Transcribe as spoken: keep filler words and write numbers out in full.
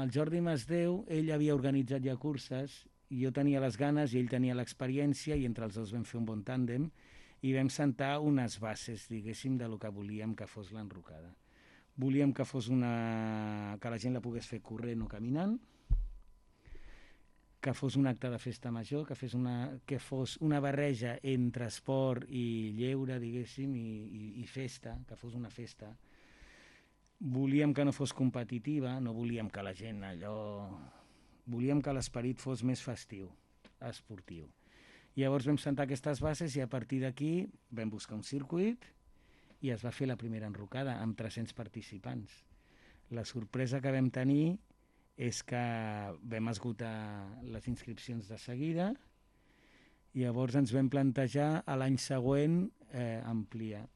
amb el Jordi Masdeu, ell havia organitzat ja curses, jo tenia les ganes i ell tenia l'experiència, i entre els dos vam fer un bon tàndem, i vam sentar unes bases, diguéssim, de lo que volíem que fos l'enrocada. Volíem que fos una... que la gent la pogués fer corrent o caminant, que fos un acte de festa major, que, fes una, que fos una barreja entre esport i lleure, diguéssim, i, i, i festa, que fos una festa. Volíem que no fos competitiva, no volíem que la gent allò... Volíem que l'esperit fos més festiu, esportiu. Llavors vam sentar aquestes bases i a partir d'aquí vam buscar un circuit i es va fer la primera enrocada amb tres-cents participants. La sorpresa que vam tenir és que vam esgotar les inscripcions de seguida i llavors ens vam plantejar a l'any següent eh, ampliar.